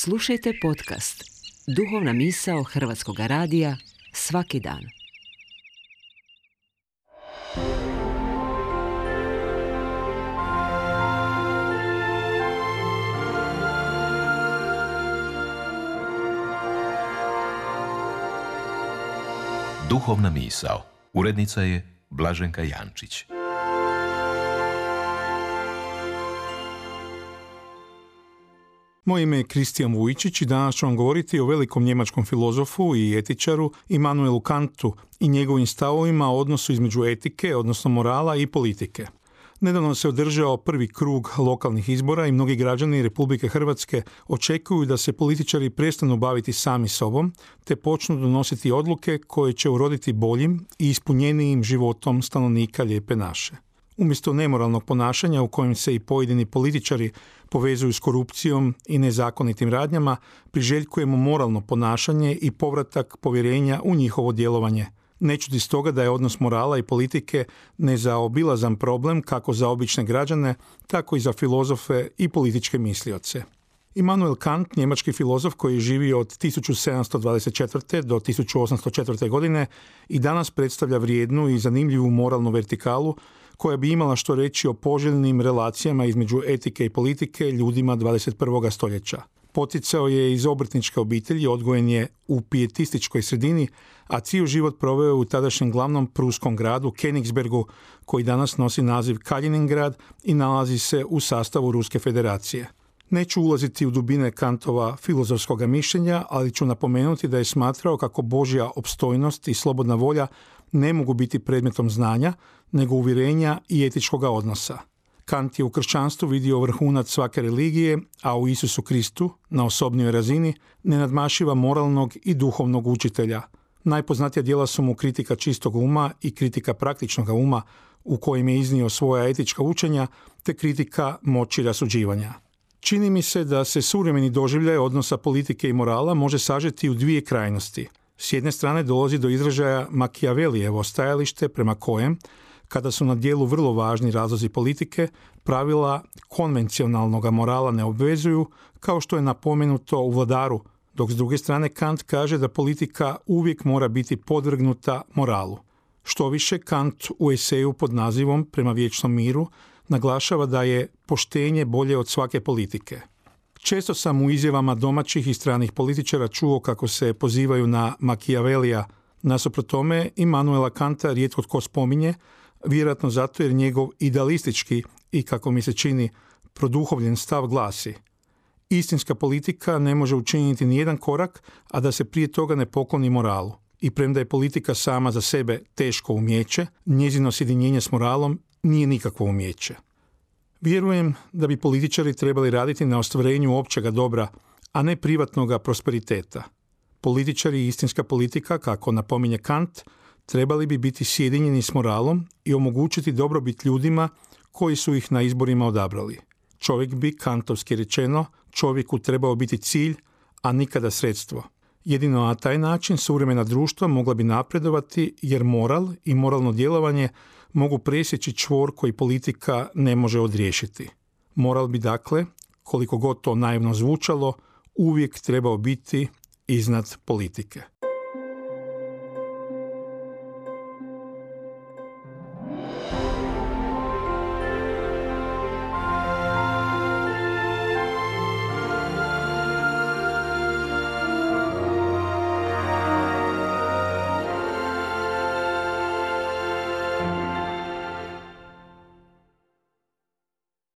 Slušajte podcast Duhovna misao Hrvatskog radija svaki dan. Duhovna misao. Urednica je Blaženka Jančić. Moje ime je Kristijan Vujčić i danas ću vam govoriti o velikom njemačkom filozofu i etičaru Immanuelu Kantu i njegovim stavovima o odnosu između etike, odnosno morala i politike. Nedavno se održao prvi krug lokalnih izbora i mnogi građani Republike Hrvatske očekuju da se političari prestanu baviti sami sobom, te počnu donositi odluke koje će uroditi boljim i ispunjenijim životom stanovnika Lijepe naše. Umjesto nemoralnog ponašanja u kojem se i pojedini političari povezuju s korupcijom i nezakonitim radnjama, priželjkujemo moralno ponašanje i povratak povjerenja u njihovo djelovanje. Ne čudi stoga da je odnos morala i politike nezaobilazan problem kako za obične građane, tako i za filozofe i političke mislioce. Immanuel Kant, njemački filozof koji je živio od 1724. do 1804. godine i danas predstavlja vrijednu i zanimljivu moralnu vertikalu koja bi imala što reći o poželjnim relacijama između etike i politike ljudima 21. stoljeća. Poticao je iz obrtničke obitelji, odgojen je u pijetističkoj sredini, a cijeli život proveo u tadašnjem glavnom pruskom gradu Königsbergu, koji danas nosi naziv Kaliningrad i nalazi se u sastavu Ruske federacije. Neću ulaziti u dubine Kantova filozofskog mišljenja, ali ću napomenuti da je smatrao kako Božja opstojnost i slobodna volja ne mogu biti predmetom znanja, nego uvjerenja i etičkoga odnosa. Kant je u kršćanstvu vidio vrhunac svake religije, a u Isusu Kristu, na osobnoj razini, ne nadmašiva moralnog i duhovnog učitelja. Najpoznatija djela su mu Kritika čistog uma i Kritika praktičnog uma, u kojim je iznio svoja etička učenja, te Kritika moći rasuđivanja. Čini mi se da se suvremeni doživljaj odnosa politike i morala može sažeti u dvije krajnosti. S jedne strane dolazi do izražaja Machiavellijevo stajalište prema kojem, kada su na djelu vrlo važni razlozi politike, pravila konvencionalnog morala ne obvezuju, kao što je napomenuto u Vladaru, dok s druge strane Kant kaže da politika uvijek mora biti podvrgnuta moralu. Štoviše, Kant u eseju pod nazivom Prema vječnom miru naglašava da je poštenje bolje od svake politike. Često sam u izjavama domaćih i stranih političara čuo kako se pozivaju na Machiavellija. Nasuprot tome, Immanuela Kanta rijetko tko spominje, vjerojatno zato jer njegov idealistički i, kako mi se čini, produhovljen stav glasi: istinska politika ne može učiniti nijedan korak, a da se prije toga ne pokloni moralu. I premda je politika sama za sebe teško umijeće, njezino sjedinjenje s moralom nije nikakvo umijeće. Vjerujem da bi političari trebali raditi na ostvarenju općega dobra, a ne privatnoga prosperiteta. Političari i istinska politika, kako napominje Kant, trebali bi biti sjedinjeni s moralom i omogućiti dobrobit ljudima koji su ih na izborima odabrali. Čovjek bi, kantovski rečeno, čovjeku trebao biti cilj, a nikada sredstvo. Jedino na taj način suvremena društva mogla bi napredovati, jer moral i moralno djelovanje mogu presjeći čvor koji politika ne može odriješiti. Moral bi, dakle, koliko god to naivno zvučalo, uvijek trebao biti iznad politike.